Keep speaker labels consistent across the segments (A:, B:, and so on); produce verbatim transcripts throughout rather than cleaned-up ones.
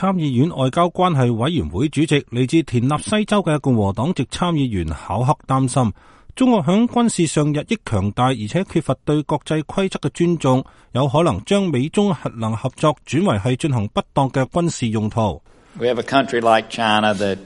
A: 參議院外交關係委員會主席、嚟自田納西州嘅共和黨籍參議員考克擔心，中國響軍事上日益強大，而且缺乏對國際規則嘅尊重，有可能將美中核能合作轉為係進行不當嘅軍事用途。
B: We have a country like China that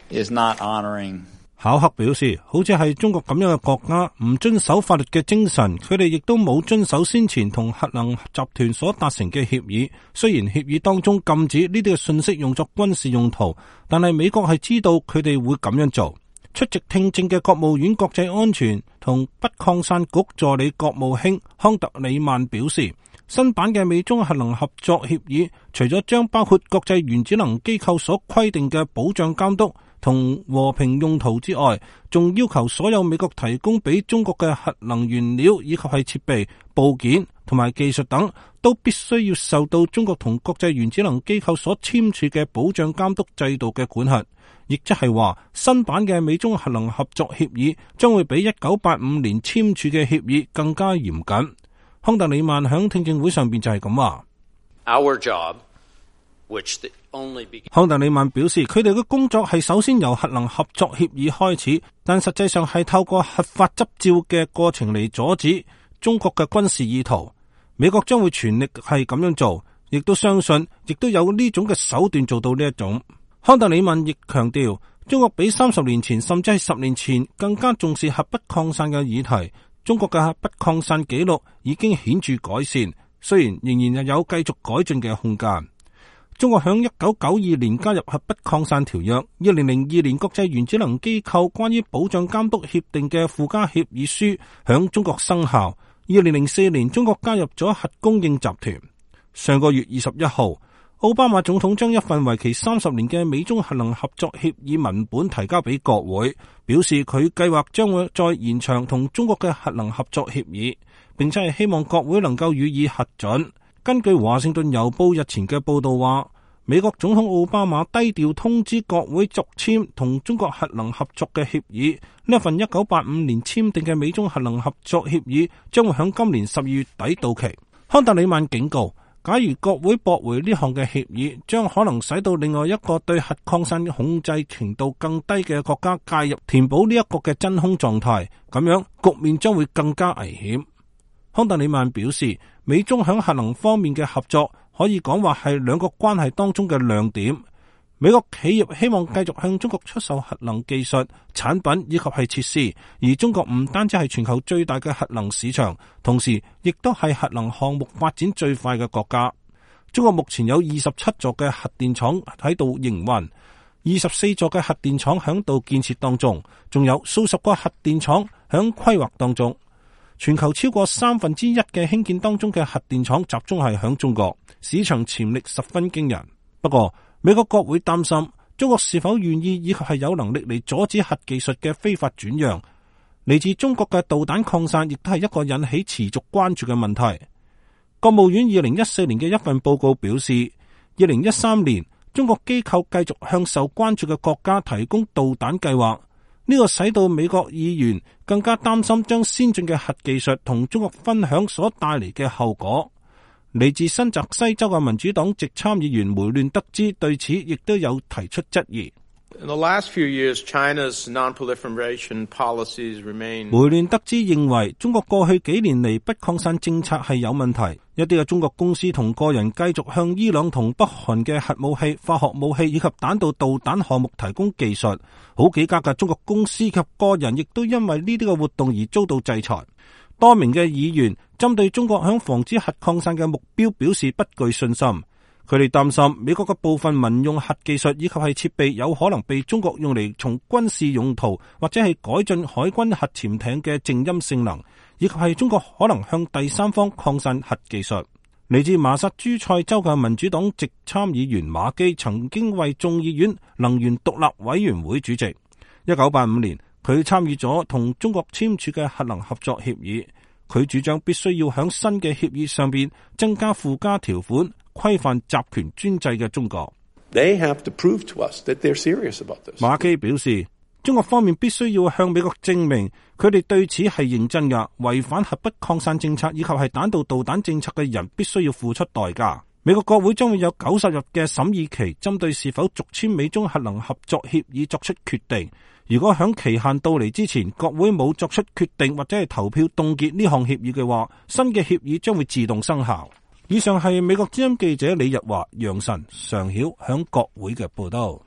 B: is not honoring
A: 考克表示，好似係中國咁樣嘅國家，唔遵守法律嘅精神，佢哋亦都冇遵守先前同核能集團所達成嘅協議。雖然協議當中禁止呢啲嘅信息用作軍事用途，但係美國係知道佢哋會咁樣做。出席聽證嘅國務院國際安全同不擴散局助理國務卿康特里曼表示，新版嘅美中核能合作協議，除咗將包括國際原子能機構所規定嘅保障監督同和平用途之外，仲要求所有美國提供俾中國嘅核能原料以及係設備、部件同埋技術等，都必須要受到中國同國際原子能機構所簽署嘅保障監督制度嘅管轄。亦即係話，新版嘅美中核能合作協議將會比一九八五年簽署嘅協議更加嚴謹。康特里曼響聽證會上邊就係咁話。
C: Our job, which the only began...
A: 康特里曼表示，佢哋嘅工作係首先由核能合作協議開始，但實際上係透過核發執照嘅過程嚟阻止中國嘅軍事意圖。美國將會全力係咁樣做，亦都相信，亦都有呢種嘅手段做到呢一種。康特里曼亦強調，中國比三十年前甚至係十年前更加重視核不擴散嘅議題。中國嘅核不擴散紀錄已經顯著改善，雖然仍然有繼續改進嘅空間。中國響一九九二年加入核不擴散條約，二零零二年國際原子能機構關於保障監督協定嘅附加協議書響中國生效。二零零四年，中國加入咗核供應集團。上個月二十一號，奧巴馬總統將一份為期三十年嘅美中核能合作協議文本提交俾國會，表示佢計劃將會再延長同中國嘅核能合作協議，並且係希望國會能夠予以核准。根據華盛頓郵報日前嘅報道話，美國總統奧巴馬低調通知國會續簽同中國核能合作嘅協議。呢一份一九八五年簽訂嘅美中核能合作協議將會喺今年十二月底到期。康特里曼警告，假如國會駁回呢項嘅協議，將可能使到另外一個對核擴散控制程度更低嘅國家介入，填補呢一個嘅真空狀態，咁樣局面將會更加危險。康特里曼表示，美中響核能方面嘅合作可以講話係兩個關係當中嘅亮點。美國企業希望繼續向中國出售核能技術、產品以及係設施，而中國唔單止係全球最大嘅核能市場，同時亦都係核能項目發展最快嘅國家。中國目前有二十七座嘅核電廠喺度營運，二十四座嘅核電廠響度建設當中，仲有數十個核電廠響規劃當中。全球超過三分之一嘅興建當中嘅核電廠集中係響中國，市場潛力十分驚人。不過，美國國會擔心中國是否願意以及係有能力嚟阻止核技術嘅非法轉讓。嚟自中國嘅導彈擴散亦都係一個引起持續關注嘅問題。國務院二零一四年嘅一份報告表示，二零一三年中國機構繼續向受關注嘅國家提供導彈計劃。呢個使到美國議員更加擔心將先進嘅核技術同中國分享所帶嚟嘅後果。嚟自新澤西州嘅民主黨籍參議員梅亂德茲對此亦都有提出質疑。
D: In the last few years, China's non-proliferation policies remain...
A: 梅亂德茲認為中國過去幾年嚟不擴散政策係有問題，一啲嘅中國公司同個人繼續向伊朗同北韓嘅核武器、化學武器以及彈道導彈項目提供技術，好幾家嘅中國公司及個人亦都因為呢啲嘅活動而遭到制裁。多名嘅議員針對中國響防止核擴散嘅目標表示不具信心。佢哋擔心美國嘅部分民用核技術以及係設備有可能被中國用嚟從軍事用途或者係改進海軍核潛艇嘅靜音性能，以及係中國可能向第三方擴散核技術。嚟自馬薩諸塞州嘅民主黨籍參議員馬基曾經為眾議院能源獨立委員會主席。一九八五年，佢參與咗同中國簽署嘅核能合作協議。佢主張必須要響新嘅協議上邊增加附加條款，規範集權專制嘅中國。
D: They have to prove to us that they're serious about this.
A: 馬基表示，中國方面必須要向美國證明佢哋對此係認真㗎，違反核不擴散政策以及係彈道導彈政策嘅人必須要付出代價。美國國會將會有九十日嘅審議期，針對是否續簽美中核能合作協議作出決定。如果響期限到嚟之前，國會冇作出決定或者係投票凍結呢項協議嘅話，新嘅協議將會自動生效。以上係美國之音記者李日華、楊晨、常曉響國會嘅報道。